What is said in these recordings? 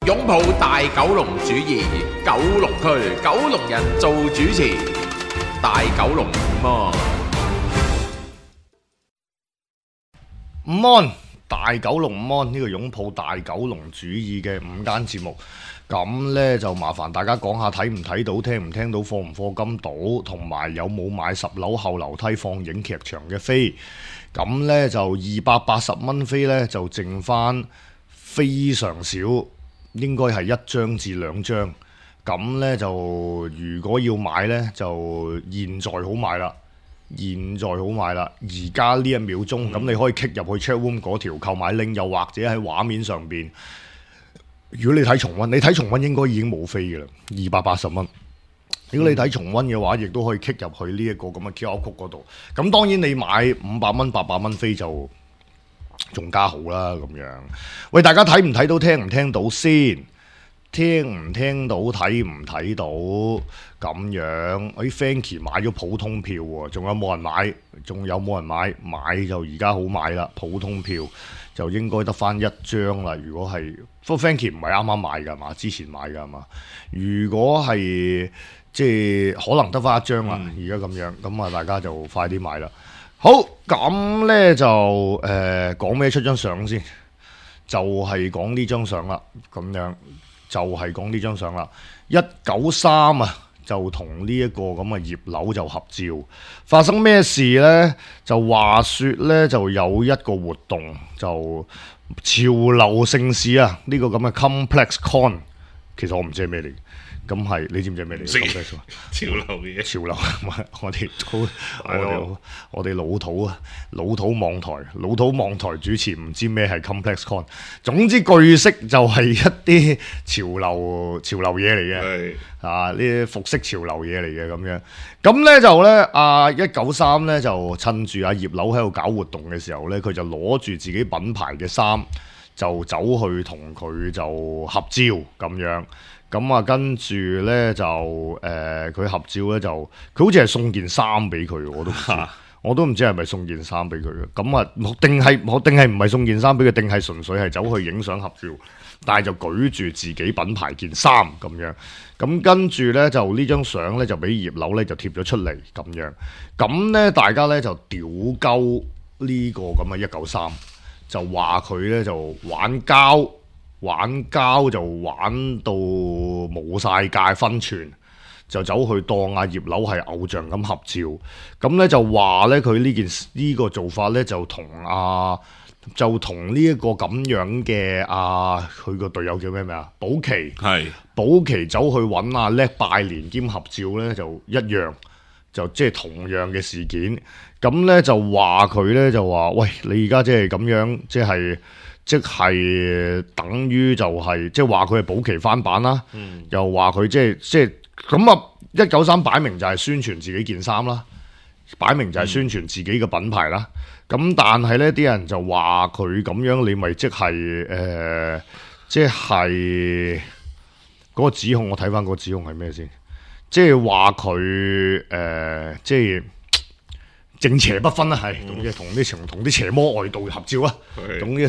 擁抱大九龍主義，九龍區九龍人做主持，大九龍午安。午安，大九龍午安，呢個擁抱大九龍主義嘅午間節目，咁呢，就麻煩大家講下睇唔睇到、聽唔聽到、課唔課金到，同埋有冇買10樓後樓梯放映劇場嘅飛。咁呢，就280蚊飛呢，就剩翻非常少，應該係1張至2張。咁呢，就如果要買呢，就現在好買啦。現在好買啦！而家呢1秒鐘，咁你可以 click 入去 chatroom 嗰條購買 link，又或者喺畫面上邊。如果你睇重溫，你睇重溫應該已經冇飛嘅啦，280蚊。如果你睇重溫嘅話，亦都可以 click 入去呢一個咁嘅 QR code 嗰度。咁當然你買500蚊、800蚊飛就仲加好啦咁樣。喂，大家睇唔睇到、聽唔聽到先？聽唔聽到、睇唔睇到咁樣？Fanky 買咗普通票喎，仲有冇人買？仲有冇人買？買就而家好買啦，普通票就應該得翻1張啦。如果係，不過 Fanky 唔係啱啱買㗎嘛，之前買㗎嘛。如果係即係可能得翻1張啦，而家咁樣，咁啊大家就快啲買啦。好，咁呢就講咩出張相先？就係講呢張相啦，咁樣。就係講呢張相啦，193啊，就同呢一個咁嘅葉劉就合照。發生咩事呢？就話說呢，就有一個活動，就潮流盛事啊，呢、這個咁嘅 Complex Con， 其實我唔知係咩嚟。咁係，你知唔知係咩嚟？潮流嘢，潮流，我哋老土啊，老土網台主持唔知咩係 Complex Con。總之據悉就係一啲潮流嘢嚟嘅，啊呢啲服飾潮流嘢嚟嘅咁樣。咁咧就咧，193咧就趁住阿葉劉喺度搞活動嘅時候咧，佢就攞住自己品牌嘅衫，就走去同佢就合照咁樣。咁啊，跟住咧就佢合照咧就，佢好似係送件衫俾佢，我都唔知係咪送件衫俾佢嘅。咁啊，定係唔係送件衫俾佢，定係純粹係走去影相合照，但係就舉住自己品牌件衫咁樣。咁跟住咧就呢張相咧就俾葉劉咧就貼咗出嚟咁樣。咁咧大家咧就屌鳩呢個咁嘅193，就話佢咧就玩膠就玩到冇晒界分寸，就走去當阿葉劉係偶像咁合照。咁咧就話咧佢呢個做法咧就同呢一個咁樣嘅佢個隊友叫咩名啊？保期走去揾阿叻拜年兼合照咧就一樣，就即係同樣嘅事件。咁咧就話佢咧就話喂，你而家即係咁樣即係等於就係即係話佢係保期翻版啦，又話佢即係咁啊！193擺明就係宣傳自己件衫啦，擺明就係宣傳自己嘅品牌啦。咁但係呢啲人就話佢咁樣，你咪即係嗰個指控，我睇翻嗰個指控係咩先？即係話佢即係。正邪不分啦，係同啲邪魔外道合照啊，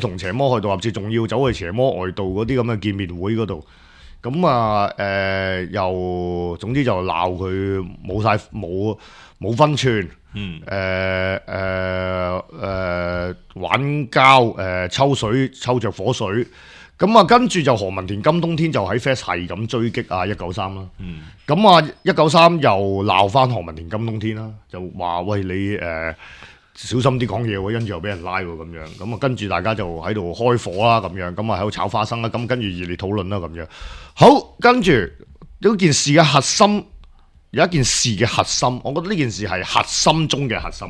同邪魔外道合照，仲要走去邪魔外道嗰啲咁嘅見面會嗰度，咁又總之就鬧佢冇分寸，玩膠抽着火水。咁啊，跟住就何文田金冬天就喺 Fest 係咁追擊193啦。咁193又鬧翻何文田金冬天啦，就話喂你小心啲講嘢喎，跟住又俾人拉喎咁樣。咁啊，跟住大家就喺度開火啦咁樣，咁啊喺度炒花生啦。咁跟住熱烈討論啦咁樣。好，跟住呢件事嘅核心，有一件事嘅核心，我覺得呢件事係核心中嘅核心。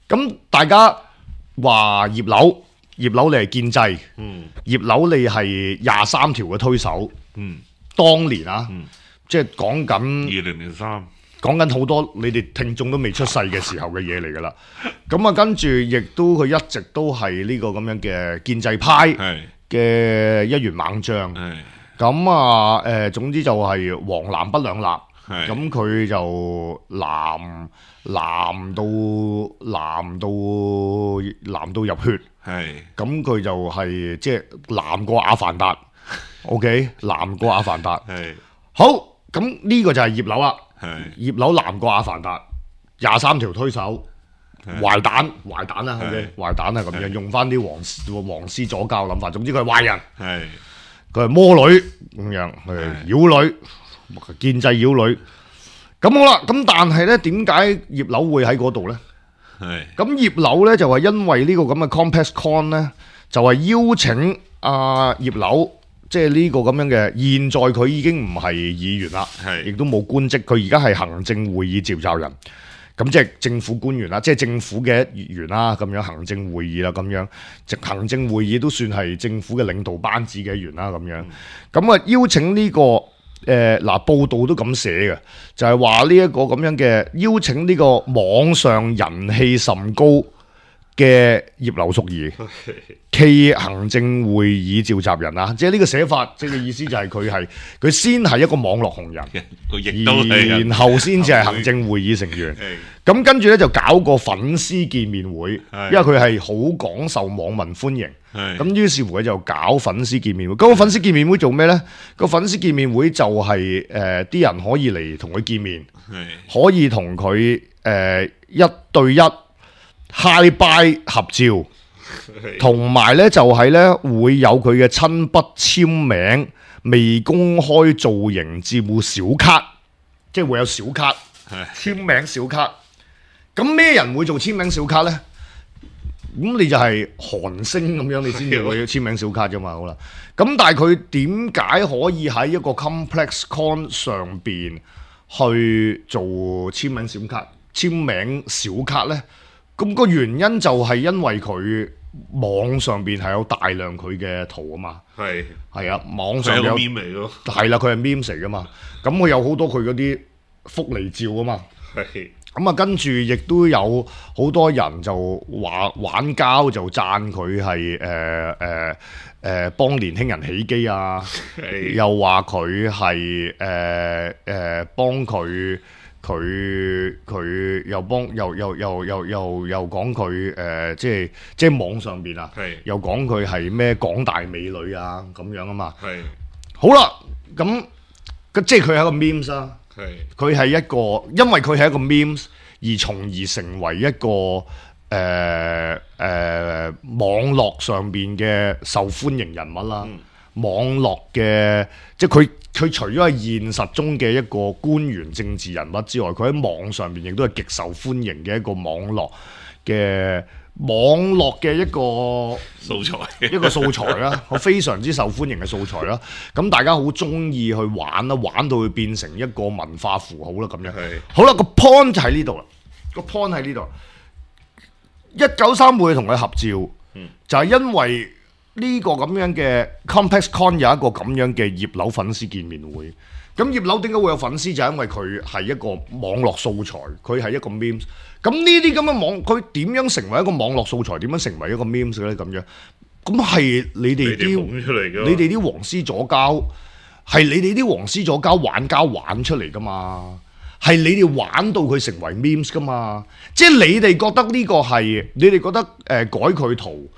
咁大家話葉劉你係建制，葉劉你係23條嘅推手，當年即係講緊2003，講緊好多你哋聽眾都未出世嘅時候嘅嘢嚟噶啦。咁啊，跟住亦都佢一直都係呢個咁樣嘅建制派嘅一員猛將。咁啊，總之就係黃藍不兩立。咁佢就藍到入血。咁佢就係即係藍過阿凡達， OK， 南過阿凡達。係好，咁呢個就係葉劉啦。係葉劉南過阿凡達，23條推手，壞蛋啦，OK， 壞蛋啊咁樣，用翻啲黃絲左膠諗法，總之佢係壞人，係佢係魔女咁樣，佢係妖女，建制妖女。咁好啦，咁但係咧，點解葉劉會喺嗰度咧？係咁葉劉咧就係因為呢個咁嘅 CompexCon 咧，就係邀請葉劉，即係呢個咁樣嘅。現在佢已經唔係議員啦，亦都冇官職，佢而家係行政會議召集人。咁即係政府官員啦，即係政府嘅一員啦，咁樣行政會議啦，咁樣行政會議都算係政府嘅領導班子嘅一員啦，咁樣。咁邀請呢個報道都咁寫嘅，就係話呢一個咁樣嘅邀請呢個網上人氣甚高嘅葉劉淑儀暨行政會議召集人啊，即係呢個寫法，即係意思就係佢先係一個網絡紅人，然後先至係行政會議成員。咁跟住咧就搞個粉絲見面會，因為佢係好廣受網民歡迎。咁於是乎佢就搞粉絲見面會。嗰個粉絲見面會做咩呢？個粉絲見面會就係啲人可以嚟同佢見面，可以同佢一對一Hi Bye合照，同埋咧就係咧會有佢嘅親筆簽名，未公開造型照小卡，即係會有小卡簽名小卡。咁咩人會做簽名小卡呢？咁你就係韓星咁樣，你先至會簽名小卡啫嘛。好啦，咁但係佢點解可以喺一個 CompexCon 上邊去做簽名小卡呢？咁個原因就係因為佢網上邊係有大量佢嘅圖啊嘛，係啊，網上有 meme 嚟咯，係啦，佢係 meme 嚟噶嘛，咁佢有好多佢嗰啲福利照啊嘛，咁啊跟住亦都有好多人就話玩膠就讚佢係幫年輕人起機啊，又話佢係幫佢又講佢即係網上邊啊，又講佢係咩廣大美女啊咁樣啊嘛。好啦，咁即係佢係一個 memes 啦，佢係一個，因為佢係一個 memes 而從而成為一個網絡上邊嘅受歡迎人物啦。網絡嘅即係佢除咗係現實中嘅一個官員政治人物之外，佢喺網上邊亦都係極受歡迎嘅一個網絡嘅一個素材啦，非常之受歡迎嘅素材啦。咁大家好中意去玩啦，玩到佢變成一個文化符號啦咁樣。好啦，個 point 就喺呢度啦，個 point 喺呢度。193會同佢合照，就係因為呢個咁樣嘅 CompexCon 有一個咁樣嘅葉劉粉絲見面會。咁葉劉點解會有粉絲？就係因為佢係一個網絡素材，佢係一個 memes。咁呢啲咁嘅佢點樣成為一個網絡素材？點樣成為一個 memes 嘅咧？咁樣咁係你哋啲黃絲左膠，係你哋啲黃絲左膠玩膠玩出嚟噶嘛？係你哋玩到佢成為 memes 噶嘛？即係你哋覺得呢個係，你哋覺得改佢圖。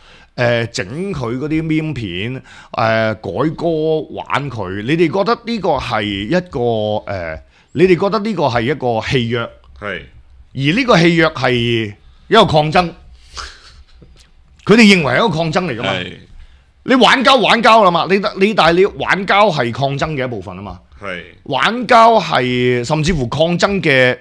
整佢嗰啲 meme 片，改歌玩佢，你哋覺得呢個係一個你哋覺得呢個係一個戲約，而呢個戲約係一個抗爭，佢哋認為係一個抗爭嚟噶嘛？你玩膠啦嘛，但係你玩膠係抗爭嘅一部分啊嘛，玩膠係甚至乎抗爭嘅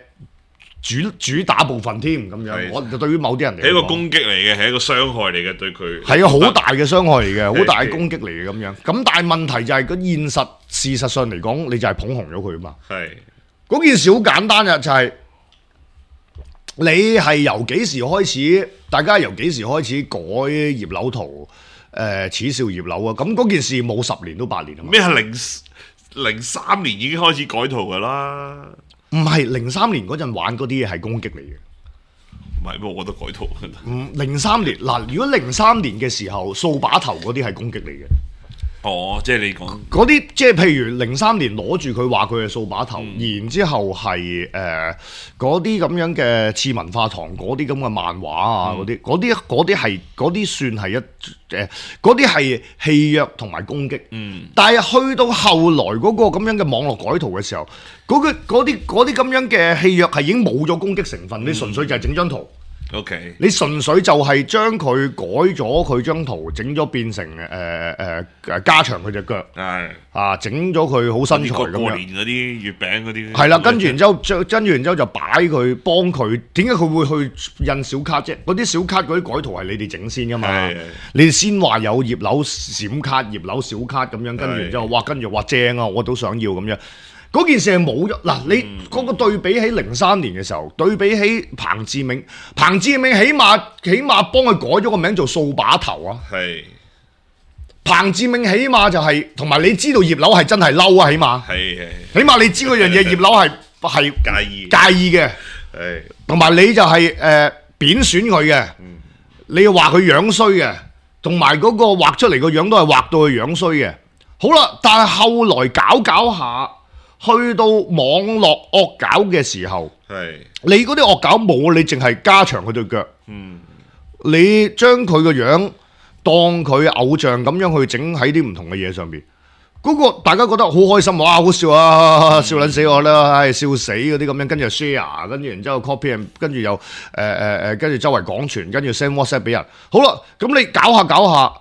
主打部分添咁樣，我對於某啲人嚟講係一個攻擊嚟嘅，係一個傷害嚟嘅，對佢係啊，好大嘅傷害嚟嘅，好大嘅攻擊嚟嘅咁樣。咁但係問題就係個現實，事實上嚟講，你就係捧紅咗佢啊嘛。嗰件事好簡單嘅，就係你係由幾時開始，大家由幾時開始改葉劉圖，恥笑葉劉啊？咁嗰件事冇10年都8年啊嘛。咩係03年已經開始改圖噶啦？唔係03年嗰陣玩嗰啲嘢係攻擊嚟嘅，唔係，我覺得改圖。03年嗱，如果03年嘅時候掃把頭嗰啲係攻擊嚟嘅，哦，即係你講嗰啲即係譬如03年攞住佢話佢係掃把頭，然之後係嗰啲咁樣嘅次文化堂嗰啲咁嘅漫畫啊，嗰啲算係嗰啲係戲謔同埋攻擊。但係去到後來嗰個咁樣嘅網絡改圖嘅時候，嗰啲咁樣嘅戲謔係已經冇咗攻擊成分，你純粹就係整張圖。OK，你純粹就係將佢改咗佢張圖，整咗變成加長佢隻腳，整咗佢好身材咁樣。過年嗰啲月餅嗰啲。係啦，跟住然之後就擺佢幫佢。點解佢會去印小卡啫？嗰啲小卡嗰啲改圖係你哋整先噶嘛？你哋先話有葉劉閃卡、葉劉小卡咁樣，跟住然之後跟住話正啊，我都想要咁樣。嗰件事係冇咗嗱，你嗰個對比起03年嘅時候，對比起彭志銘起碼幫佢改咗個名做掃把頭啊！係彭志銘起碼就係同埋你知道葉劉係真係嬲啊，起碼起碼你知嗰樣嘢葉劉係介意嘅，同埋你就係貶損佢嘅，你要話佢樣衰嘅，同埋嗰個畫出嚟個樣都係畫到佢樣衰嘅。好啦，但係後來搞下。去到網絡惡搞嘅時候，你嗰啲惡搞冇，你淨係加長佢對腳，你將佢個樣當佢偶像咁樣去整喺啲唔同嘅嘢上邊，嗰個大家覺得好開心，哇好笑啊，笑撚死我啦，笑死嗰啲咁樣，跟住 share， 跟住然之後 copy， 跟住又跟住周圍廣傳，跟住 send WhatsApp 俾人。好啦，咁你搞下，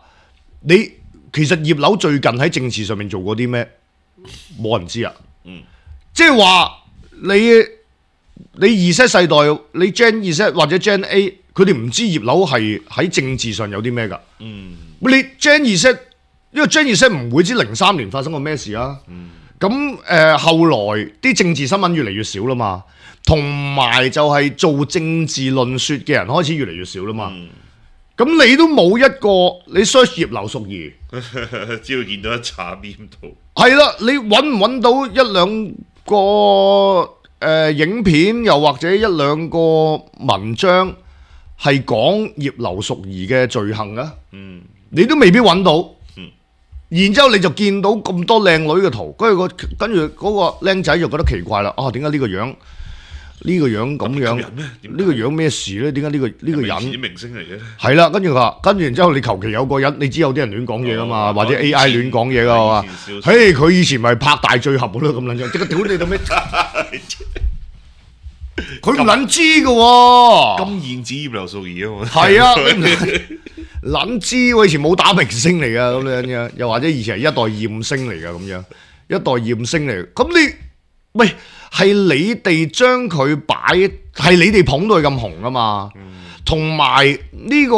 你其實葉劉最近喺政治上面做過啲咩？冇人知啊。即係話你Z世代，你 Gen Z 或者 Gen A， 佢哋唔知葉劉係喺政治上有啲咩㗎。你 Gen Z， 因為 Gen Z 唔會知03年發生過咩事啊。咁後來啲政治新聞越嚟越少啦嘛，同埋就係做政治論説嘅人開始越嚟越少啦嘛。咁你都冇一個你 search 葉劉淑儀，只要見到一紮邊度。係啦，你揾唔揾到一兩個影片，又或者一兩個文章係講葉劉淑儀嘅罪行啊？你都未必揾到。然之後你就見到咁多靚女嘅圖，跟住嗰個僆仔就覺得奇怪啦。點解呢個樣咁樣？呢個樣咩事咧？點解呢個人明星嚟嘅？係啦，跟住然之後你求其有個人，你知有啲人亂講嘢噶嘛，或者 AI 亂講嘢噶嘛？嘿，佢以前咪拍大醉俠咯，咁撚樣，即刻屌你到咩？佢唔撚知噶喎，金燕子葉劉淑儀啊嘛。係啊，撚知喎，以前冇打明星嚟噶咁樣，又或者以前係一代艷星嚟噶咁樣，一代艷星嚟。咁你喂？係你哋將佢擺，係你哋捧到佢咁紅啊嘛。同埋呢個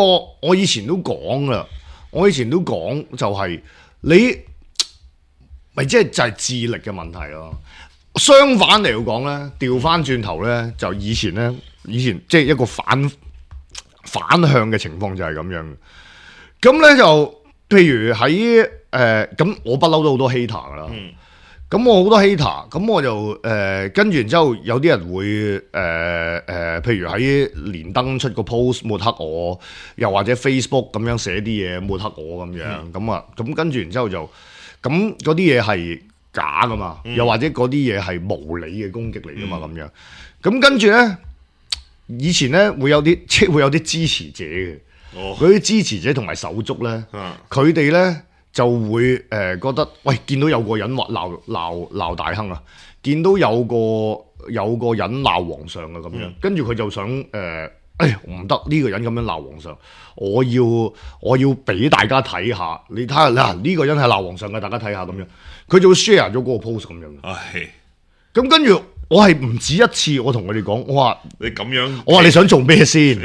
我以前都講啦，就係你咪即係就係智力嘅問題咯。相反嚟講咧，調翻轉頭咧，就以前即係一個反向嘅情況就係咁樣。咁咧就譬如喺咁我不嬲都好多 hater 噶啦。咁我好多 hater， 咁我就跟住然之後有啲人會譬如喺連登出個 post 抹黑我，又或者 Facebook 咁樣寫啲嘢抹黑我咁樣，咁跟住然之後就咁嗰啲嘢係假噶嘛，又或者嗰啲嘢係無理嘅攻擊嚟噶嘛咁樣，咁跟住咧以前咧會有啲支持者嘅，嗰啲支持者同埋手足咧，佢哋咧。就會覺得，喂，見到有個人話鬧大亨啊，見到有個人鬧皇上啊咁樣，跟住佢就想唔得呢個人咁樣鬧皇上，我要俾大家睇下，你睇下嗱呢個人係鬧皇上嘅，大家睇下咁樣，佢就會 share 咗嗰個 post 咁樣。咁跟住我係唔止一次，我同佢哋講，我話你咁樣，我話你想做咩先？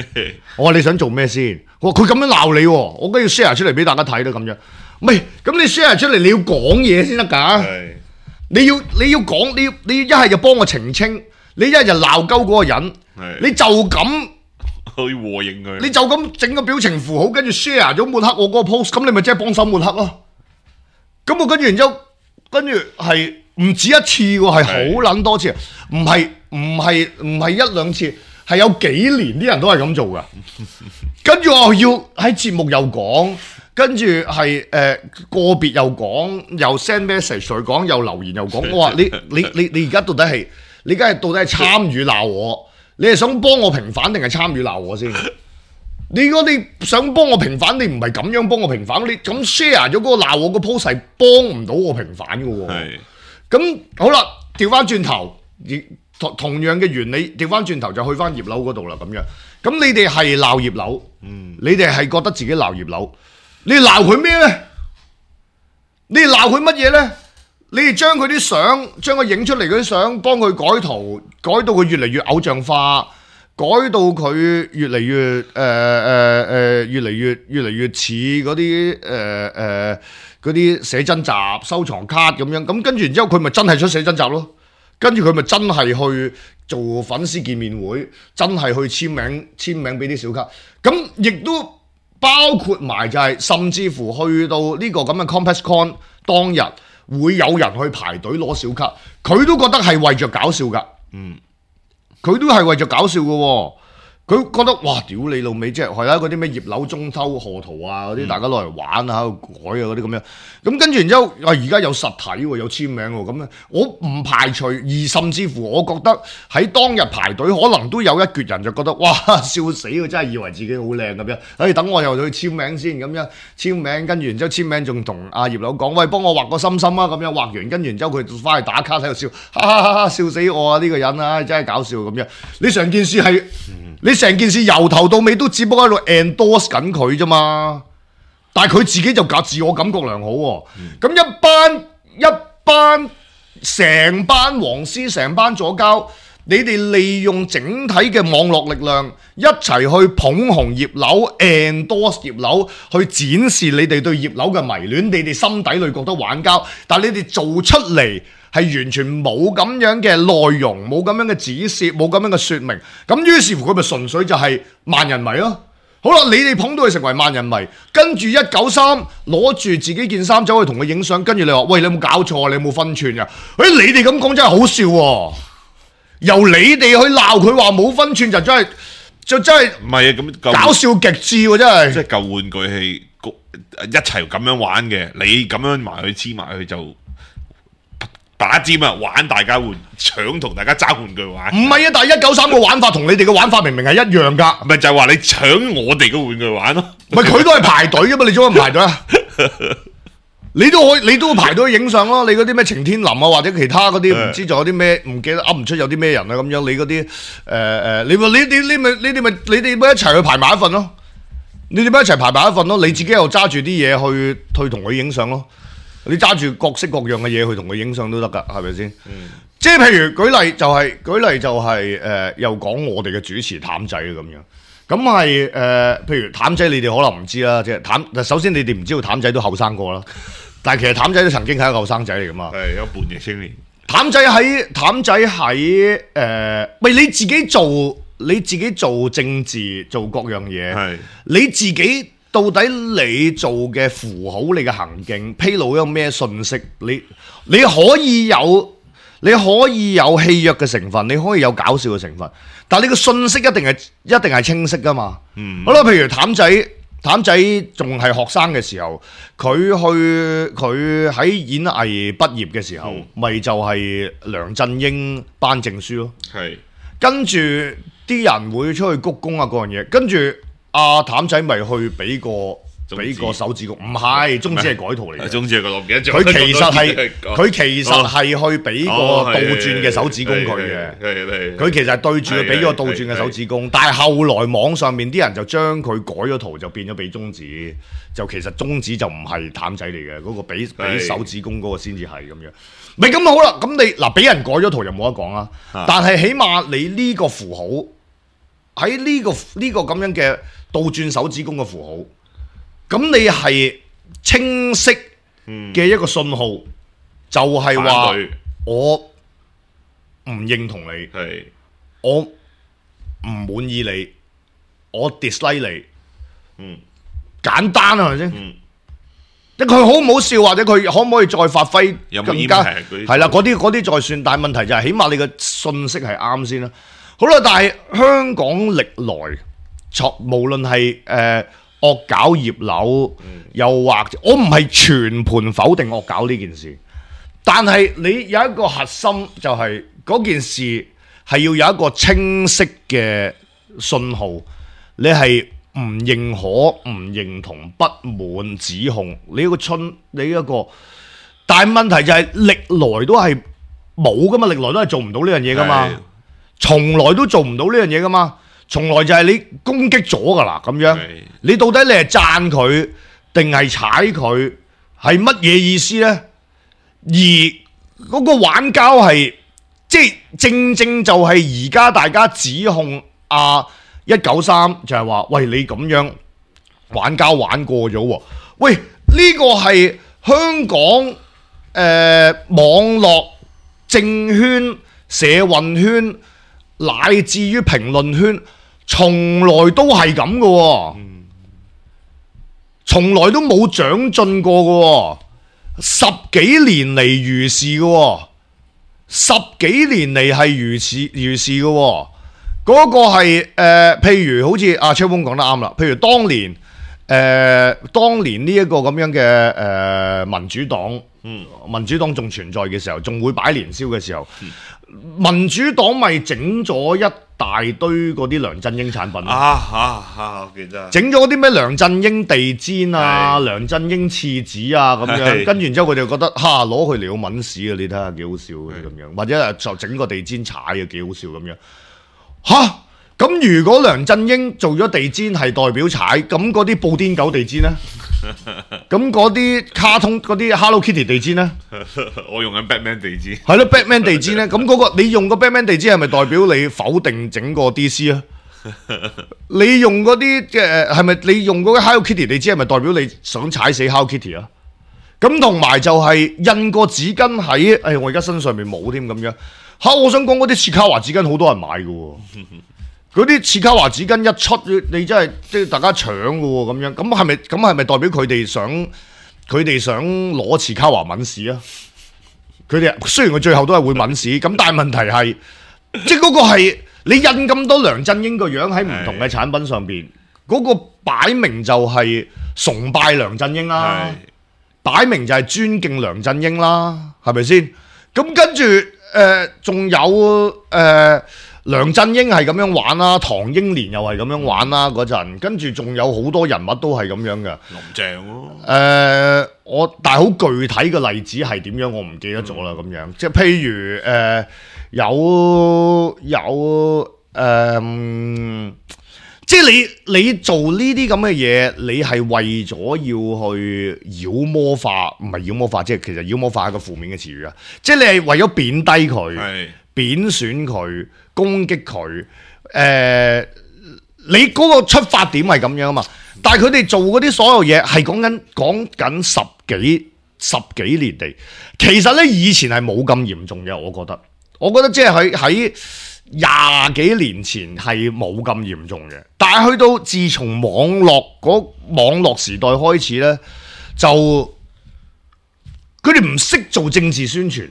我話你想做咩先？我話佢咁樣鬧你，我梗要 share 出嚟俾大家睇啦咁樣。唔係，咁你 share 出嚟，你要講嘢先得㗎。你要講，你一係就幫我澄清，你一係就鬧鳩嗰個人。你就咁去和應佢，你就咁整個表情符號，跟住 share 咗抹黑我嗰個 post， 咁你咪即係幫手抹黑咯。咁我跟住然之後，跟住係唔止一次喎，係好撚多次，唔係一兩次，係有幾年啲人都係咁做㗎。跟住我要喺節目又講。跟住係個別又講，又 send message 嚟講，又留言又講。我話你而家到底係你而家到底係參與鬧我？你係想幫我平反定係參與鬧我先？如果你想幫我平反，你唔係咁樣幫我平反，你咁 share 咗嗰個鬧我個 post 係幫唔到我平反嘅喎。咁好啦，調翻轉頭，同樣嘅原理，調翻轉頭就去翻葉劉嗰度啦。咁樣，咁你哋係鬧葉劉，你哋係覺得自己鬧葉劉，你鬧佢咩咧？你哋鬧佢乜嘢咧？你哋將佢啲相，將佢影出嚟嗰啲相，幫佢改圖，改到佢越嚟越偶像化。改到佢越嚟越越嚟越似嗰啲寫真集收藏卡咁樣，咁跟住然之後佢咪真係出寫真集咯，跟住佢咪真係去做粉絲見面會，真係去簽名俾啲小卡，咁亦都包括埋就係、甚至乎去到呢個咁嘅 ComplexCon 當日會有人去排隊攞小卡，佢都覺得係為着搞笑㗎，佢都係為咗搞笑嘅喎，佢覺得哇屌你老味，即係啦嗰啲咩葉劉中秋賀圖啊嗰啲，大家攞嚟玩啊喺度改啊嗰啲咁樣，咁跟住然之後而家有實體喎，有簽名喎，咁我唔排除，而甚至乎我覺得喺當日排隊可能都有一橛人就覺得哇笑死喎，真係以為自己好靚咁樣，等我又去簽名先咁樣簽名，跟住然之後簽名仲同阿葉劉講，喂幫我畫個心心啊咁樣，畫完跟住然之後佢翻去打卡喺度笑，哈哈哈哈笑死我啊呢個人啊真係搞笑咁樣，你成件事係。你成件事由頭到尾都只不過喺度 endorse 緊佢啫嘛，但係佢自己就自我感覺良好喎。咁一班成班黃絲成班左膠，你哋利用整體嘅網絡力量一齊去捧紅葉劉 endorse 葉劉，去展示你哋對葉劉嘅迷戀，你哋心底裏覺得玩交，但係你哋做出嚟。係完全冇咁樣嘅內容，冇咁樣嘅指示，冇咁樣嘅説明。咁於是乎佢咪純粹就係萬人迷咯。好啦，你哋捧到佢成為萬人迷，跟住193攞住自己件衫走去同佢影相，跟住你話：喂，你有冇搞錯？你有冇分寸㗎？你哋咁講真係好笑喎！由你哋去鬧佢話冇分寸，就真係唔係啊咁搞笑極致喎！真係即係舊玩具係一齊咁樣玩嘅，你咁樣埋去黐埋去就。打尖啊！玩大家搶同大家爭玩具玩，唔係啊！但係193個玩法同你哋嘅玩法明明係一樣㗎，咪就係話你搶我哋嘅玩具玩咯。咪佢都係排隊㗎嘛？你做乜唔排隊啊？你都會排隊影相咯。你嗰啲咩晴天林啊，或者其他嗰啲唔知仲有啲咩唔記得噏唔出有啲咩人啊咁樣。你嗰啲你哋咪一齊去排埋一份咯。你哋咪一齊排埋一份咯。你自己又揸住啲嘢去同佢影相咯。你揸住各式各樣嘅嘢去同佢影相都得㗎，係咪先？即係譬如舉例就係又講我哋嘅主持譚仔咁樣，咁係譬如譚仔你哋可能唔知啦，即係首先你哋唔知道譚仔都後生過啦，但係其實譚仔都曾經係一個後生仔嚟㗎嘛，係有叛逆青年。譚仔喺喂你自己做政治做各樣嘢，係你自己。到底你做嘅符號，你嘅行徑披露咗咩信息？你可以有戲謔嘅成分，你可以有搞笑嘅成分，但係你個信息一定係清晰噶嘛。好啦，譬如譚仔仲係學生嘅時候，佢喺演藝畢業嘅時候，咪就係梁振英頒證書咯。係跟住啲人會出去鞠躬啊嗰樣嘢，跟住。阿譚仔咪去俾個手指公，唔係中指係改圖嚟嘅。中指係個唔記得咗。佢其實係去俾個倒轉嘅手指公佢嘅。佢其實對住佢俾個倒轉嘅手指公，但係後來網上面啲人就將佢改咗圖，就變咗俾中指。就其實中指就唔係譚仔嚟嘅，嗰個俾手指公嗰個先至係咁樣。咪咁好啦，咁你嗱俾人改咗圖就冇得講啦。但係起碼你呢個符號喺呢個咁樣嘅。倒轉手指公嘅符號，咁你係清晰嘅一個信號，就係話我唔認同你，我唔滿意你，我 dislike 你，簡單啊，係咪先？即佢好唔好笑，或者佢可唔可以再發揮更加係啦？嗰啲再算，但係問題就係起碼你嘅信息係啱先啦。好啦，但係香港歷來無論係惡搞葉劉，又或者我唔係全盤否定惡搞呢件事，但係你有一個核心就係嗰件事係要有一個清晰嘅信號，你係唔認可、唔認同、不滿、指控，你一個，但係問題就係歷來都係冇噶嘛，歷來都係做唔到呢樣嘢噶嘛，從來都做唔到呢樣嘢噶嘛。從來就係你攻擊咗噶啦，咁樣你到底你係讚佢定係踩佢，係乜嘢意思呢？而嗰個玩交係即係正就係而家大家指控193就係話，喂，你咁樣玩交玩過咗喎，喂，呢個係香港網絡政圈、社運圈乃至於評論圈。從來都係咁嘅喎，從來都冇長進過嘅喎，十幾年嚟如是嘅喎，十幾年嚟係如是嘅喎，嗰個係譬如好似阿超鋒講得啱啦，譬如當年呢一個咁樣嘅民主黨，民主黨仲存在嘅時候，仲會擺年宵嘅時候，民主黨咪整咗一大堆嗰啲梁振英產品我記得整咗啲咩梁振英地氈啊、梁振英廁紙啊咁樣，跟住然之後佢哋覺得攞佢嚟好抆屎啊！你睇下幾好笑嘅咁樣，或者就整個地氈踩啊幾好笑咁樣咁如果梁振英做咗地氈係代表踩，咁嗰啲布甸狗地氈呢？咁嗰啲卡通嗰啲 Hello Kitty 地氈呢？我用緊 Batman 地氈，係咯 Batman 地氈呢？咁嗰個你用個 Batman 地氈係咪代表你否定整個 DC 啊？你用嗰啲係咪你用嗰個 Hello Kitty 地氈係咪代表你想踩死 Hello Kitty 啊？咁同埋就係印個紙巾喺，我而家身上面冇添咁樣我想講嗰啲切卡華紙巾好多人買嘅喎。嗰啲切卡華紙巾一出，你真係即係大家搶嘅喎咁樣，咁係咪代表佢哋想攞切卡華抆屎啊？佢哋雖然佢最後都係會抆屎，咁但係問題係，即係嗰個係你印咁多梁振英個樣喺唔同嘅產品上邊，嗰個擺明就係崇拜梁振英啦，擺明就係尊敬梁振英啦，係咪先？咁跟住仲有梁振英係咁樣玩啦，唐英年又係咁樣玩啦嗰陣，跟住仲有好多人物都係咁樣嘅。林鄭咯，但係好具體嘅例子係點樣，我唔記得咗啦。咁樣即係譬如即係你做呢啲咁嘅嘢，你係為咗要去妖魔化，唔係妖魔化，即係其實妖魔化係一個負面嘅詞語啊！即係你係為咗貶低佢、貶損佢、攻擊佢，你嗰個出發點係咁樣啊嘛。但係佢哋做嗰啲所有嘢係講緊十幾年嚟，其實咧以前係冇咁嚴重嘅，我覺得即係喺20幾年前係冇咁嚴重嘅，但係去到自從網絡時代開始咧，就佢哋唔識做政治宣傳，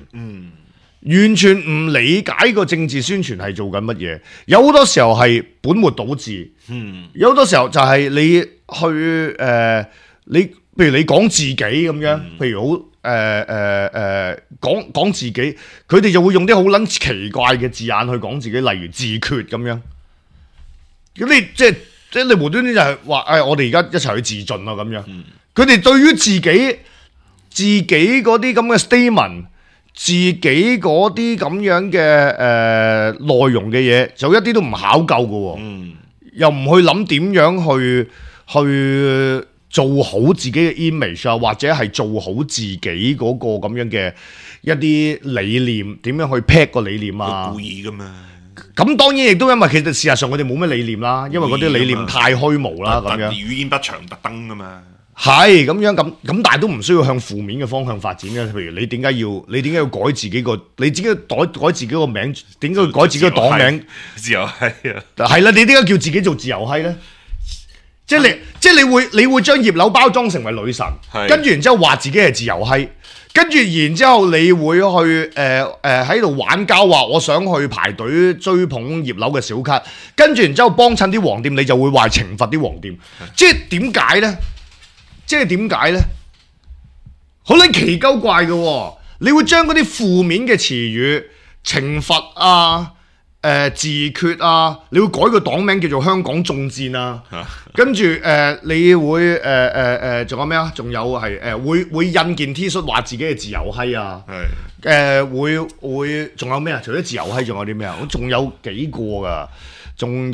完全唔理解個政治宣傳係做緊乜嘢，有好多時候係本末倒置，有好多時候就係你去你譬如你講自己咁樣，譬如好。講自己，佢哋就會用啲好撚奇怪嘅字眼去講自己，例如自決咁樣。咁你即係你無端端就係話，我哋而家一齊去自盡啊咁樣。佢哋對於自己嗰啲咁嘅 statement， 自己嗰啲咁樣嘅內容嘅嘢，就一啲都唔考究嘅，又唔去諗點樣去做好自己嘅 image 啊，或者係做好自己嗰個咁樣嘅一啲理念，點樣去 pack 個理念啊？故意噶嘛？咁當然亦都因為其實事實上佢哋冇咩理念啦，因為嗰啲理念太虛無啦咁樣。語言不詳特登噶嘛？係咁樣咁，但係都唔需要向負面嘅方向發展嘅。譬如你點解要改自己個？你自己改自己個名，點解要改自己個黨名？自由閪啊！係啦，你點解叫自己做自由閪咧？即係你會將葉劉包裝成為女神，係跟住然之後話自己係自由閪，跟住然之後你會去喺度玩交，話我想去排隊追捧葉劉嘅小卡，跟住然之後幫襯啲黃店，你就會話懲罰啲黃店，即係點解呢？好撚奇鳩怪嘅喎，你會將嗰啲負面嘅詞語懲罰啊、自決啊，你會改個黨名叫做香港眾戰啊，跟住你會仲有咩啊？仲有係會印件 T 恤話自己係自由閪啊，會仲有咩啊？除咗自由閪，仲有啲咩啊？仲有幾個㗎，仲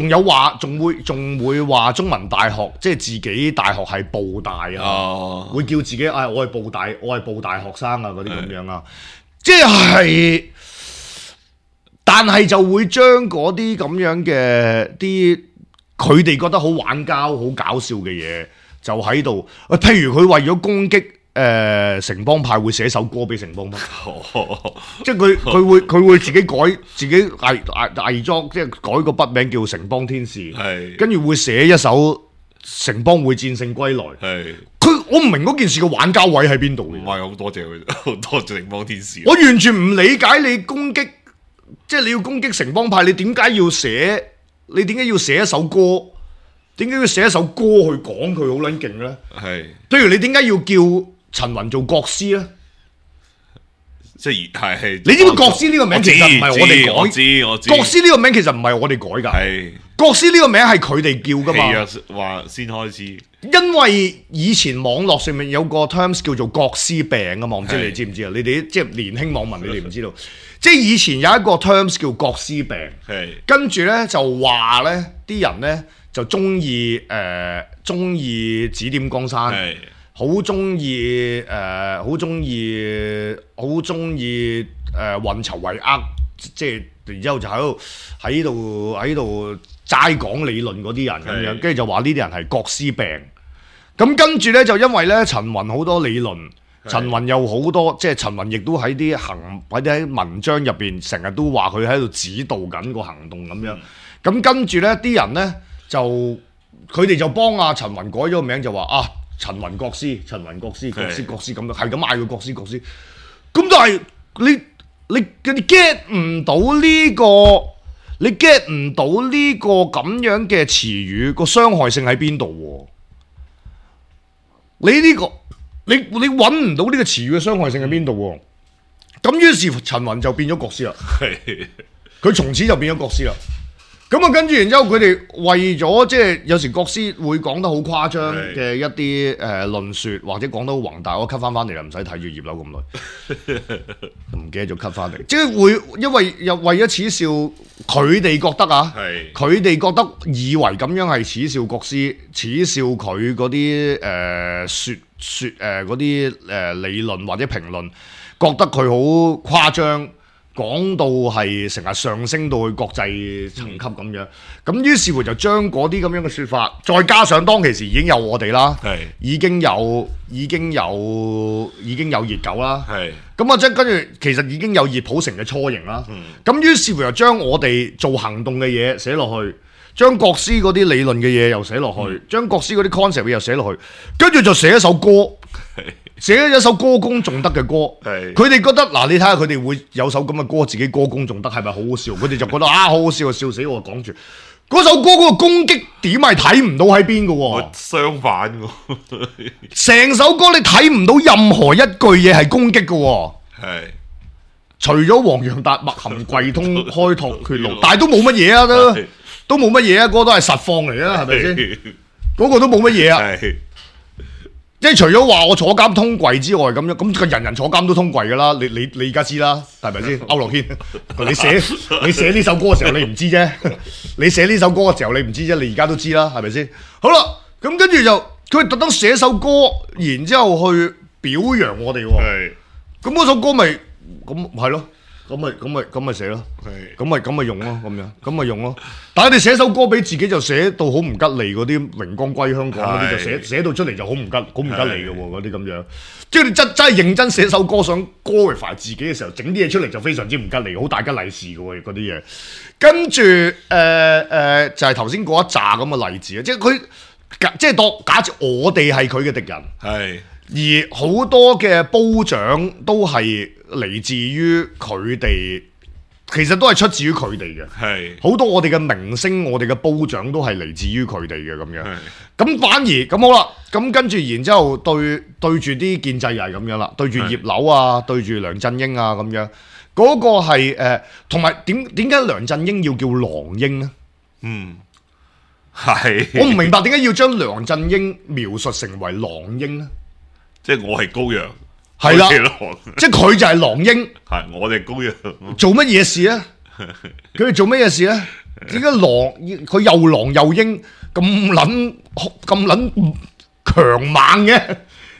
有話，仲會話中文大學，即係自己大學係報大啊，會叫自己我係報大學生啊嗰啲咁樣啊，即係，但係就會將嗰啲咁樣嘅啲佢哋覺得好玩膠、好搞笑嘅嘢，就喺度，譬如佢為咗攻擊。城邦派會寫首歌俾城邦派，即係佢會自己偽裝，即係改個筆名叫城邦天使，跟住會寫一首城邦會戰勝歸來。我唔明嗰件事嘅玩膠位喺邊度嘅。唔係好多謝佢，好多謝城邦天使。我完全唔理解你攻擊，即係你要攻擊城邦派，你點解要寫？你點解要寫一首歌？點解要寫一首歌去講佢好撚勁咧？譬如你點解要叫陳雲做國師咧，即係你知唔知國師呢個名其實唔係我哋改？我知。國師呢個名其實唔係我哋改㗎。國師呢個名係佢哋叫㗎嘛。話先開始，因為以前網絡上面有個 terms 叫做國師病啊嘛，唔知你知唔知啊？你哋即係年輕網民，你哋唔知道。即係以前有一個 terms 叫國師病，跟住咧就話咧啲人咧就中意指點江山。好中意運籌帷幄，即係然之後就喺度齋講理論嗰啲人咁樣，跟住就話呢啲人係國師病。咁跟住咧就因為咧陳雲好多理論，陳雲有好多，即係陳雲亦都喺啲文章入邊成日都話佢喺度指導緊個行動咁樣。咁跟住咧啲人咧就佢哋就幫阿陳雲改咗個名，就話陳雲國師咁樣，係咁嗌佢國師。咁但係你 get 唔到呢個，你 get 唔到呢個咁樣嘅詞語個傷害性喺邊度？你揾唔到呢個詞語嘅傷害性喺邊度？咁於是乎陳雲就變咗國師啦。佢從此就變咗國師啦。咁啊，跟住然之後，佢哋為咗即係有時國師會講得好誇張嘅一啲論説，或者講得好宏大，我 cut 翻嚟啦，唔使睇住葉劉咁耐，唔記得咗 cut 翻嚟。即係會因為又為咗恥笑佢哋覺得佢哋覺得以為咁樣係恥笑國師，恥笑佢嗰啲嗰啲理論或者評論，覺得佢好誇張。講到係成日上升到去國際層級咁樣，咁於是乎就將嗰啲咁樣嘅説法，再加上當其時已經有我哋啦，已經有熱狗啦，咁啊即係跟住其實已經有熱普城嘅雛形啦，咁於是乎又將我哋做行動嘅嘢寫落去，將國師嗰啲理論嘅嘢又寫落去，將國師嗰啲 concept 嘅又寫落去，跟住就寫一首歌。寫咗一首歌功頌德嘅歌，佢哋覺得你睇下佢哋會有首咁嘅歌，自己歌功頌德係咪好好笑？佢哋就覺得好好笑，笑死我！講住嗰首歌嗰個攻擊點係睇唔到喺邊嘅喎，相反嘅，成首歌你睇唔到任何一句嘢係攻擊嘅喎，除咗黃洋達默含櫃通開拓血路，但係都冇乜嘢啊，都冇乜嘢啊，嗰個都係實況嚟啊，係咪先？嗰個都冇乜嘢啊。即係除咗話我坐監通櫃之外，咁人人坐監都通櫃噶啦，你而家知啦，係咪先？區諾軒，你寫呢首歌嘅時候你唔知啫，你寫呢首歌嘅時候你唔知啫，你而家都知啦，係咪先？好啦，咁跟住就佢特登寫首歌，然之後去表揚我哋喎，咁嗰首歌咪咁係咯，咁咪寫咯，係咁咪用咯，咁咪用咯。但係你寫首歌俾自己就寫到好唔吉利嗰啲榮光歸香港嗰啲，就寫到出嚟就好唔吉利嘅喎，嗰啲咁樣。即係你真係認真寫首歌想 glorify 自己嘅時候，整啲嘢出嚟就非常之唔吉利，好大吉利是嘅喎嗰啲嘢。跟住就係頭先嗰一紮咁嘅例子啊，即係佢即係當假設我哋係佢嘅敵人。係。而好多嘅褒獎都係嚟自於佢哋，其實都係出自於佢哋嘅。係好多我哋嘅明星，我哋嘅褒獎都係嚟自於佢哋嘅咁樣。係咁反而咁好啦，咁跟住然之後對住啲建制又係咁樣啦，對住葉劉啊，對住梁振英啊咁樣，嗰個係同埋點解梁振英要叫狼英呢？係。我唔明白點解要將梁振英描述成為狼英呢？即係我係羔羊，係啦佢係狼，即係佢就係狼英。係我哋羔羊。做乜嘢事啊？佢哋做乜嘢事啊？點解狼佢又狼又鷹咁撚強猛嘅，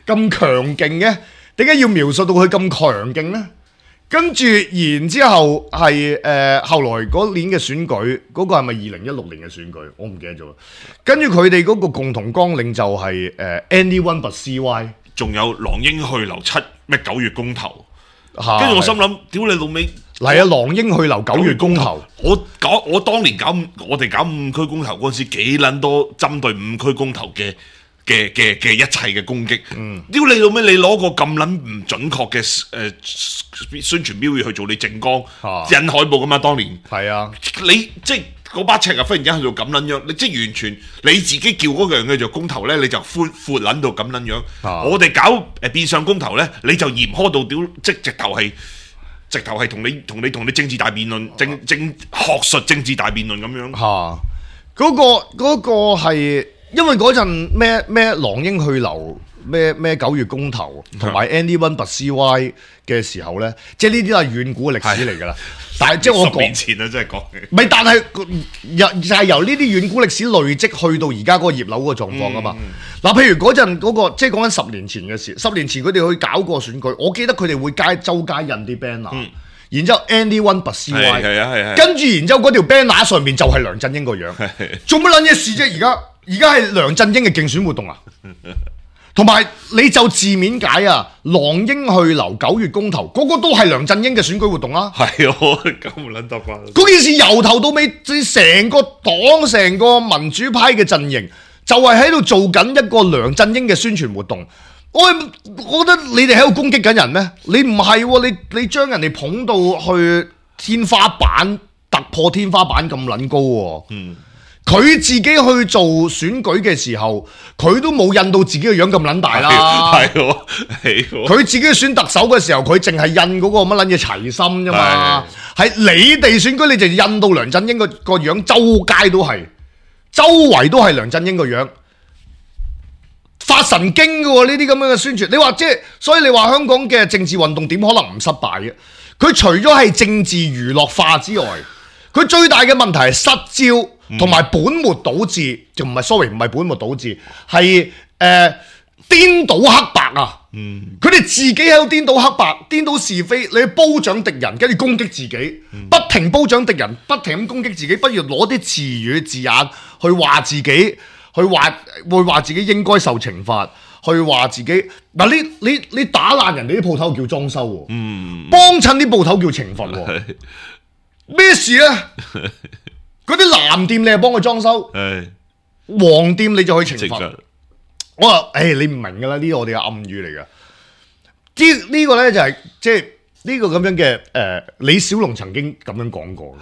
咁強勁嘅？點解要描述到佢咁強勁呢？跟住然之後係後來嗰年嘅選舉，嗰、個係咪2016年嘅選舉？我唔記得咗。跟住佢哋嗰個共同綱領就係anyone but CY。仲有狼英去留9月公投，跟跟住我心諗，屌你老味！嚟啊！狼英去留9月公投，我當年我哋搞5區公投嗰陣時，幾撚多針對5區公投嘅一切嘅攻擊。屌你老味！你攞個咁撚唔準確嘅宣傳標語去做你政綱，印海報噶嘛？當年係啊，你即係嗰把尺啊！忽然間去到咁撚樣，你即係完全你自己叫嗰樣嘅做公投咧，你就闊撚到咁撚樣。我哋搞變相公投咧，你就嚴苛到屌，即係直頭係同你政治大辯論，學術政治大辯論咁樣。嗰個係因為嗰陣咩狼英去留咩9月公投，同埋 anyone but CY 嘅時候咧，即係呢啲都係遠古嘅歷史嚟㗎啦。但係即係我10年前啊，真係講嘅。唔係，但係就係由呢啲遠古歷史累積去到而家嗰個葉劉嗰個狀況啊嘛。嗱，譬如嗰陣嗰個，即係講緊10年前嘅事。10年前佢哋去搞過選舉，我記得佢哋會周街印啲 banner，然之後 anyone but CY，跟住然之後嗰條 banner 上面就係梁振英個樣，做乜撚嘢事啫？而家係梁振英嘅競選活動啊！同埋你就字面解啊，狼英去留9月公投，嗰個都係梁振英嘅選舉活動啊！係我咁唔撚得啩？嗰件事由頭到尾，成個黨、成個民主派嘅陣營，就係喺度做緊一個梁振英嘅宣傳活動。我覺得你哋喺度攻擊緊人咩？你唔係喎，你將人哋捧到去天花板，突破天花板咁撚高喎。佢自己去做選舉嘅時候，佢都冇印到自己嘅樣咁撚大啦。係佢自己選特首嘅時候，佢淨係印嗰個乜撚嘢齊心啫嘛。係你哋選舉，你就印到梁振英個樣，周街都係，周圍都係梁振英個樣，發神經嘅喎呢啲咁樣嘅宣傳。你話即係，所以你話香港嘅政治運動點可能唔失敗嘅？佢除咗係政治娛樂化之外，佢最大嘅問題係失焦。同埋本末倒置，就唔係本末倒置，係顛倒黑白啊！佢哋自己喺度顛倒黑白、顛倒是非，你去褒獎敵人，跟住攻擊自己，不停褒獎敵人，不停咁攻擊自己，不如攞啲詞語字眼去話自己，會話自己應該受懲罰，去話自己嗱你打爛人哋啲鋪頭叫裝修喎，幫襯啲鋪頭叫懲罰喎，咩事啊？嗰啲藍店你係幫佢裝修，黃店你就去懲罰。我話你唔明㗎啦，呢個我哋嘅暗語嚟㗎。呢個咧就係即係呢個咁樣嘅李小龍曾經咁樣講過。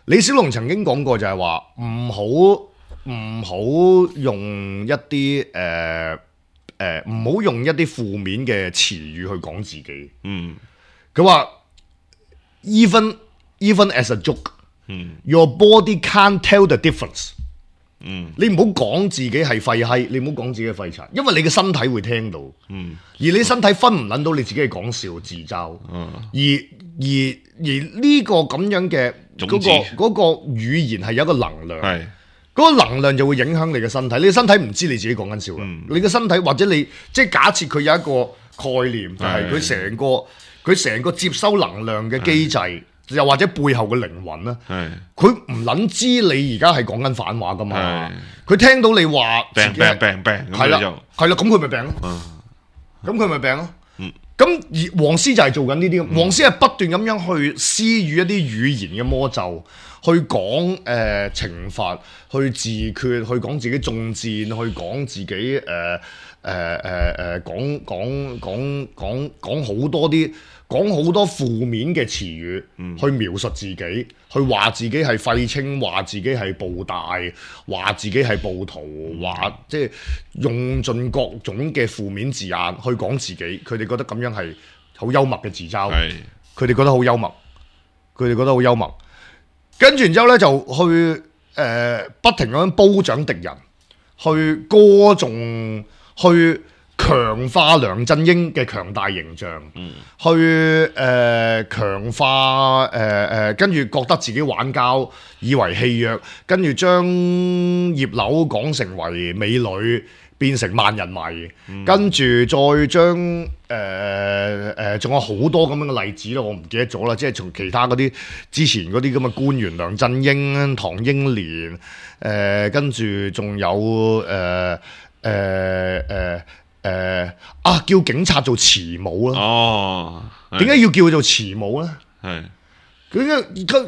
李小龍曾經講過就係話唔好用一啲唔好用一啲負面嘅詞語去講自己。佢話 even as a joke。Your body can't tell the difference。你唔好講自己係廢閪，你唔好講自己係廢柴，因為你嘅身體會聽到。而你身體分唔撚到你自己係講笑自嘲。而呢個咁樣嘅嗰個語言係有一個能量，嗰個能量就會影響你嘅身體。你嘅身體唔知你自己講緊笑啦。你嘅身體或者你即係假設佢有一個概念，就係佢佢成個接收能量嘅機制，又或者背後嘅靈魂啦，係佢唔撚知你而家係講緊反話噶嘛，佢聽到你話病，係啦，係啦，咁佢咪病咯，咁佢咪病咯。咁而黃絲就係做緊呢啲，黃絲係不斷咁樣去施予一啲語言嘅魔咒，去講懲罰，去自決，去講自己中箭，去講自己講好多負面嘅詞語，去描述自己，去話自己係廢青，話自己係暴大，話自己係暴徒，話即係用盡各種嘅負面字眼去講自己。佢哋覺得咁樣係好幽默嘅自嘲，佢哋覺得好幽默，跟住然之後咧就去不停咁樣褒獎敵人，去歌頌，去強化梁振英嘅強大形象，去強化跟住覺得自己玩膠以為戲謔，跟住將葉劉講成為美女，變成萬人迷，跟住再將仲有好多咁樣嘅例子啦，我唔記得咗啦，即係從其他嗰啲之前嗰啲咁嘅官員，梁振英、唐英年，跟住仲有叫警察做慈母啦。哦，點解要叫佢做慈母咧？係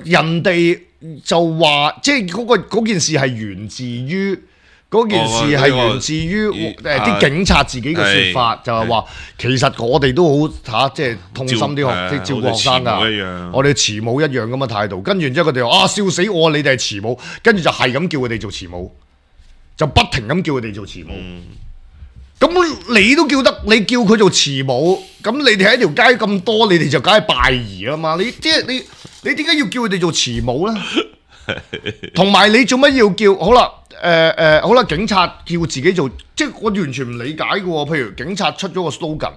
人哋就話，即係嗰件事係源自於啲警察自己嘅説法，就係話其實我哋都好即係痛心啲即係照顧學生㗎。我哋慈母一樣咁嘅態度，跟住之後佢哋話笑死我，你哋係慈母，跟住就係咁叫佢哋做慈母，就不停咁叫佢哋做慈母。咁你都叫得，你叫佢做慈母，咁你哋喺條街咁多，你哋就梗係拜兒啦嘛。你點解要叫佢哋做慈母咧？同埋你做乜要叫？好啦，好啦，警察叫自己做，即係我完全唔理解嘅喎。譬如警察出咗個 slogan，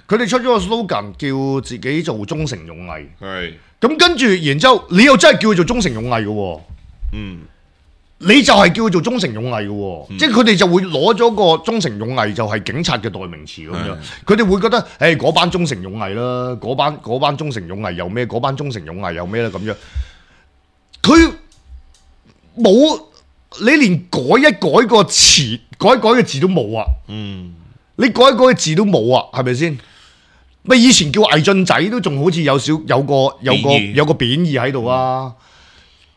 佢哋出咗個 slogan 叫自己做忠誠勇毅，咁跟住然之後，你又真係叫佢做忠誠勇毅嘅喎，你就係叫佢做忠誠勇毅嘅喎，即係佢哋就會攞咗個忠誠勇毅就係警察嘅代名詞咁樣，佢哋會覺得嗰班忠誠勇毅啦，嗰班忠誠勇毅又咩？嗰班忠誠勇毅又咩咧？咁樣，佢冇你連改一改個詞，改一改嘅字都冇啊！你改一改嘅字都冇啊，係咪先？咪以前叫魏俊仔都仲好似有個貶義喺度啊！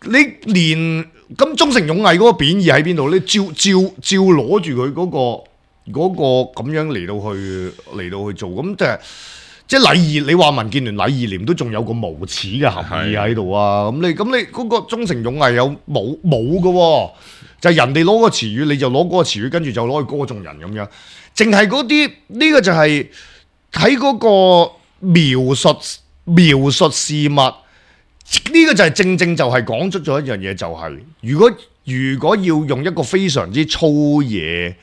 你連咁忠誠勇毅嗰個貶義喺邊度？你照攞住佢嗰個咁樣嚟到去做，咁即係禮義。你話民建聯禮義廉都仲有個無恥嘅含義喺度啊！咁你嗰個忠誠勇毅有冇嘅喎？就係人哋攞個詞語，你就攞嗰個詞語，跟住就攞去歌頌人咁樣。淨係嗰啲呢個就係喺嗰個描述事物。呢個就係正就係講出咗一樣嘢，就係如果要用一個非常之粗野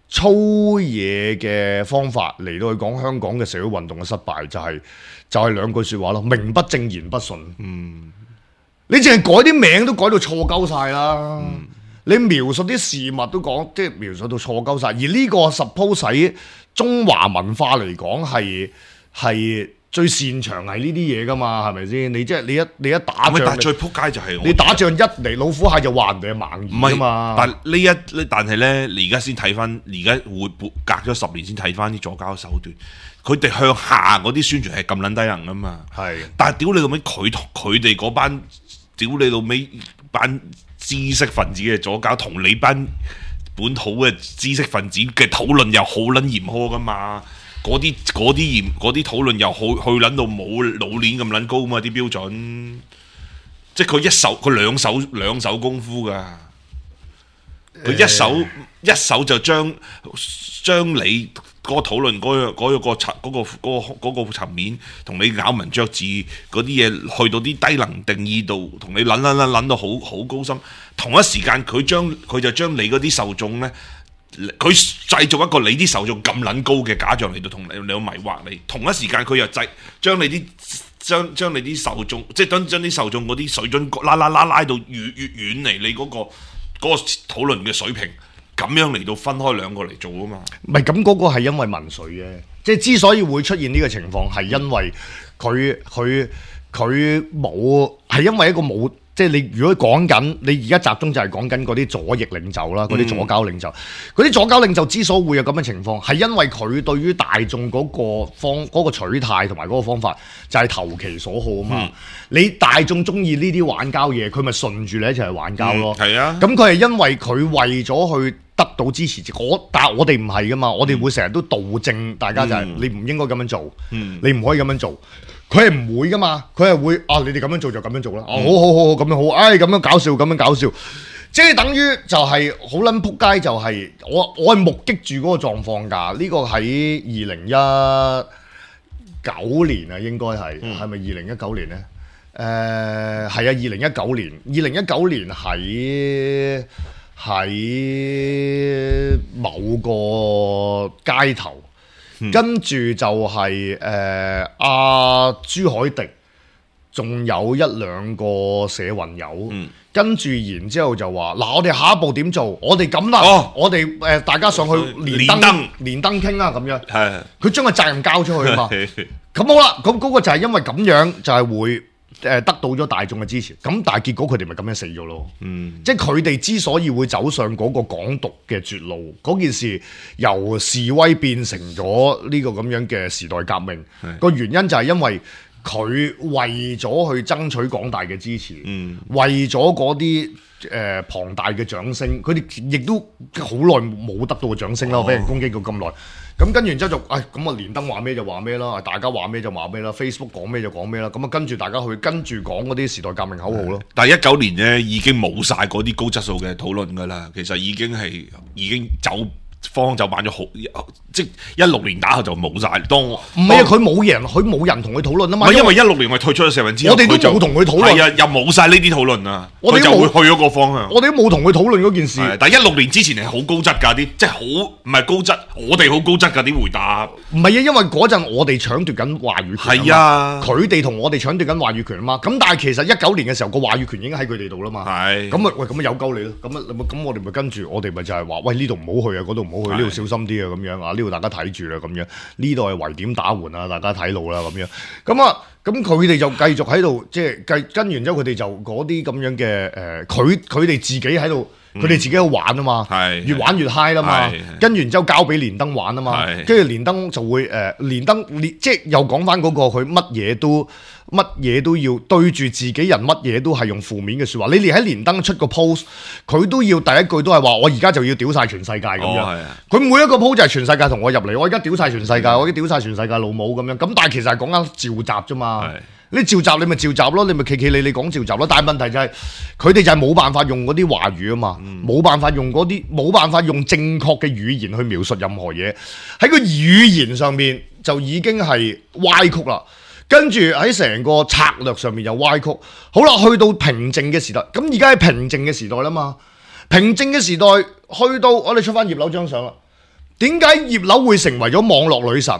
嘅方法嚟到去講香港嘅社會運動嘅失敗，就係兩句説話咯，名不正言不順。你淨係改啲名都改到錯鳩晒啦。你描述啲事物都講，即係描述到錯鳩晒。而呢個 suppose 喺中華文化嚟講係最擅長係呢啲嘢噶嘛，係咪先？你即係你一打仗，但係最撲街就係你打仗一嚟老虎蟹就話人哋係盲兒啊嘛。但係咧，你而家先睇翻，而家會隔咗10年先睇翻啲左膠手段，佢哋向下嗰啲宣傳係咁撚低能噶嘛。係，但係屌你老味，佢哋嗰班屌你老味班知識分子嘅左膠，同你班本土嘅知識分子嘅討論又好撚嚴苛噶嘛。嗰啲討論又好去撚到冇老鏈咁撚高嘛，啲標準，即係佢兩手功夫㗎，佢一手就將你嗰個討論嗰個層面，同你咬文嚼字嗰啲嘢去到啲低能定義度，同你撚到好高深。同一時間佢就將你嗰啲受眾咧。佢製造一個你啲受眾咁撚高嘅假象嚟到同你迷惑你，同一時間佢又將你啲受眾，即係將啲受眾嗰啲水準拉到越遠離你嗰個討論嘅水平，咁樣嚟到分開兩個嚟做啊嘛。唔係咁嗰個係因為民粹嘅，即係之所以會出現呢個情況，係因為佢冇，係因為一個冇。即係你如果講緊，你而家集中就係講緊嗰啲左翼領袖啦，嗰啲左膠領袖，嗰啲左膠領袖之所以會有咁嘅情況，係因為佢對於大眾嗰個取態同埋嗰個方法就係投其所好啊嘛。你大眾中意呢啲玩膠嘢，佢咪順住你一齊去玩膠咯。係啊，咁佢係因為佢為咗去得到支持，但係我哋唔係噶嘛，我哋會成日都導正大家就係你唔應該咁樣做，你唔可以咁樣做。佢係唔會噶嘛，佢係會你哋咁樣做就咁樣做啦。好咁樣好，咁樣搞笑，咁樣搞笑，即係等於就係好撚撲街，就係我係目擊住嗰個狀況㗎。呢個喺2019年啊，應該係咪2019年咧？係啊，2019年喺某個街頭。跟住就係朱凱迪，仲有一兩個社運友，跟住然之後就話我哋下一步點做？我哋咁啦，我哋大家上去連登傾啦，咁樣。係，佢將個責任交出去啊嘛。咁好啦，咁嗰個就係因為咁樣，就係會得到咗大眾嘅支持。咁但係結果佢哋咪咁樣死咗咯。即係佢哋之所以會走上嗰個港獨嘅絕路，嗰件事由示威變成咗呢個咁樣嘅時代革命，個原因就係因為佢為咗去爭取廣大嘅支持，為咗嗰啲龐大嘅掌聲，佢哋亦都好耐冇得到嘅掌聲啦，俾人攻擊過咁耐。咁跟住然之後就，咁啊連登話咩就話咩啦，大家話咩就話咩啦 ，Facebook 講咩就講咩啦，咁啊跟住大家去跟住講嗰啲時代革命口號咯。但係19年咧已經冇晒嗰啲高質素嘅討論㗎啦，其實已經方向就慢咗好，即係16年打後就冇晒。唔係啊，佢冇人同佢討論啊嘛。因為16年我退出咗社運之後，我哋都冇同佢討論。係啊，又冇晒呢啲討論啊，佢就會去咗個方向。我哋都冇同佢討論嗰件事。但係16年之前係好高質㗎啲，即係好唔係高質，我哋好高質㗎啲回答。唔係啊，因為嗰陣我哋搶奪緊話語權。係啊，佢哋同我哋搶奪緊話語權啊嘛。咁但係其實19年嘅時候個話語權已經喺佢哋度啦嘛。係。咁啊有鳩你咯。咁我哋咪跟住，我哋咪就係話，喂呢度唔好去啊，嗰度唔好去，呢度小心啲啊，咁樣啊，呢度大家睇住啦，咁樣呢度係圍點打援啊，大家睇路啦，咁樣咁佢哋就繼續喺度，即係跟完之後，佢哋就嗰啲咁樣嘅佢哋自己喺度，佢哋自己喺度玩啊嘛，越玩越 high 啦嘛，跟完之後交俾連登玩啊嘛，跟住連登就會即係又講翻嗰個佢乜嘢都要對住自己人，乜嘢都係用負面嘅説話。你連喺連登出個 post，佢都要第一句都係話：我而家就要屌晒全世界咁樣。佢每一個 post 就係全世界同我入嚟，我而家屌晒全世界，我而家屌晒全世界老母咁樣。咁但係其實係講緊召集啫嘛。你召集你咪召集咯，你咪企你講召集咯。但係問題就係佢哋就係冇辦法用嗰啲話語啊嘛，冇辦法用正確嘅語言去描述任何嘢，喺個語言上面就已經係歪曲啦。跟住喺成個策略上面又歪曲。好啦，去到平靜嘅時代，咁而家係平靜嘅時代啦嘛。平靜嘅時代去到我哋出翻葉劉張相啦。點解葉劉會成為咗網絡女神？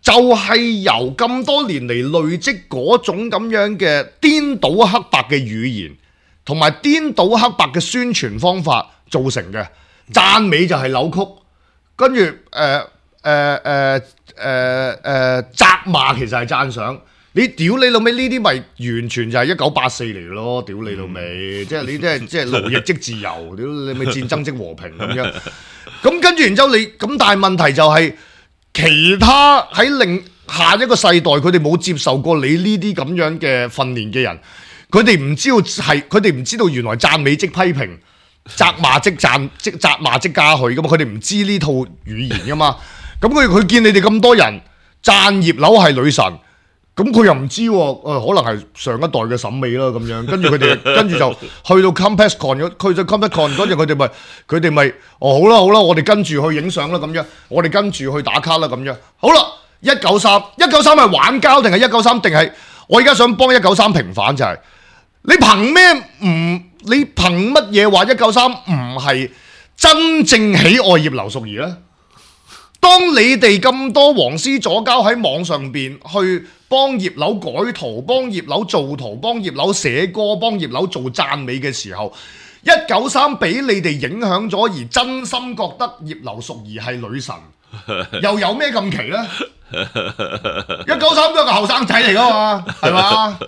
就係由咁多年嚟累積嗰種咁樣嘅顛倒黑白嘅語言，同埋顛倒黑白嘅宣傳方法造成嘅。讚美就係扭曲，跟住責罵其實係讚賞。你屌你老味呢啲咪完全就係1984嚟咯，屌你老味，即係你即係勞役即自由，屌你咪戰爭即和平咁樣。咁跟住然之後咁但係問題就係其他喺另下一個世代，佢哋冇接受過你呢啲咁樣嘅訓練嘅人，佢哋唔知道原來讚美即批評，責罵即嘉許噶嘛，佢哋唔知呢套語言噶嘛。咁佢見你哋咁多人讚葉劉係女神，咁佢又唔知喎，可能係上一代嘅審美啦咁樣。跟住佢哋跟住就去到 CompexCon 去到 CompexCon 嗰陣，佢哋咪好啦，我哋跟住去影相啦咁樣，我哋跟住去打卡啦咁樣。好啦，193係玩膠定係193定係？我而家想幫193平反就係、是、你憑乜嘢話193唔係真正喜愛葉劉淑儀咧？當你哋咁多黃絲左膠喺網上邊去幫葉劉改圖、幫葉劉做圖、幫葉劉寫歌、幫葉劉做讚美嘅時候，193俾你哋影響咗，而真心覺得葉劉淑儀係女神，又有咩咁奇咧？193都係個後生仔嚟噶嘛，係嘛？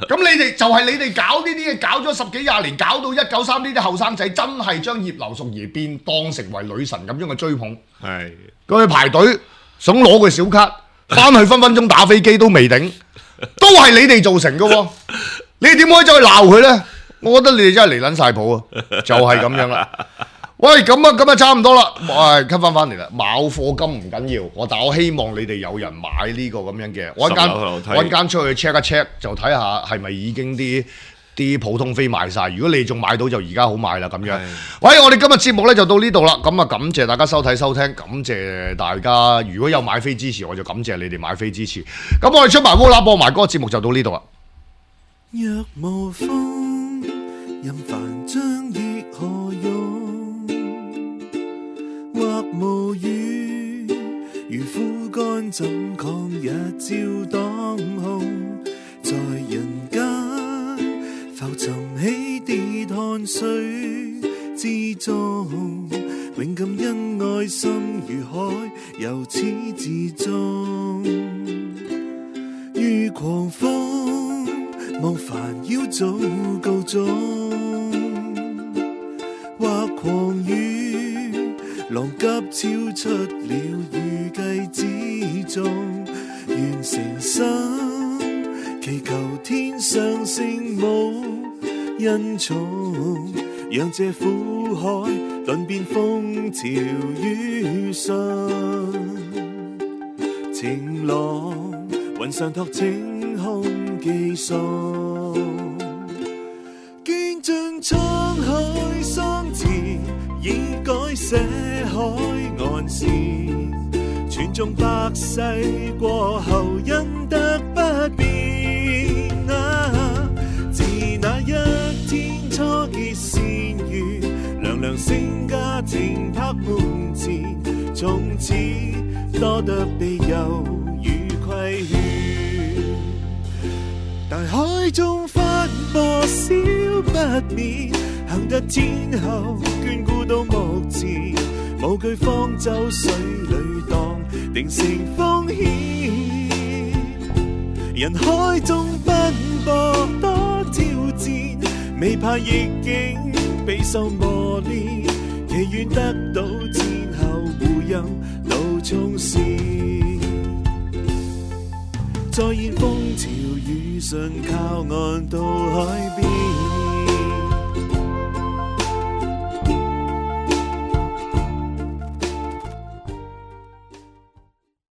咁你哋就係你哋搞呢啲嘢，搞咗10幾20年，搞到193呢啲後生仔真係將葉劉淑儀變當成為女神咁樣嘅追捧，係佢去排隊想攞個小卡，翻去分分鐘打飛機都未頂，都係你哋造成嘅喎，你哋點可以走去鬧佢咧？我覺得你哋真係離撚晒譜啊，就係咁樣啦。喂，咁啊差唔多啦，cut 翻嚟啦。冇課金唔緊要，但我希望你哋有人買呢個咁樣嘅，我一間出去 check 一 check 就睇下係咪已經啲普通飛賣晒。如果你仲買到就而家好買啦咁樣。喂，我哋今日節目咧就到呢度啦，咁啊感謝大家收睇收聽，感謝大家如果有買飛支持，我就感謝你哋買飛支持。咁我哋出埋烏啦播埋嗰個節目就到呢度啦。若無風，任凡將亦何用？或無雨，如枯乾怎抗日照當空？在人間浮沉起跌汗水之中，永感恩愛心如海，由始至終。如狂風，望煩擾早告終，或狂雨，浪急超出了預計之中。願誠心祈求天上聖母恩寵，讓這苦海頓變風潮雨順。晴朗雲上托晴空寄送，見盡滄海桑田，已改寫海岸線。傳頌百世過後，因得不變自那一天初結善緣，娘娘聖家庭拍門前，從此多得庇佑與規勸。大海中翻波小不免，行得天后眷顧到目前，無懼方舟水裏蕩，定成風險。人海中奔波多挑戰，未怕逆境備受磨練，祈願得到天后護佑路衝線。再現風潮雨順靠岸到海邊。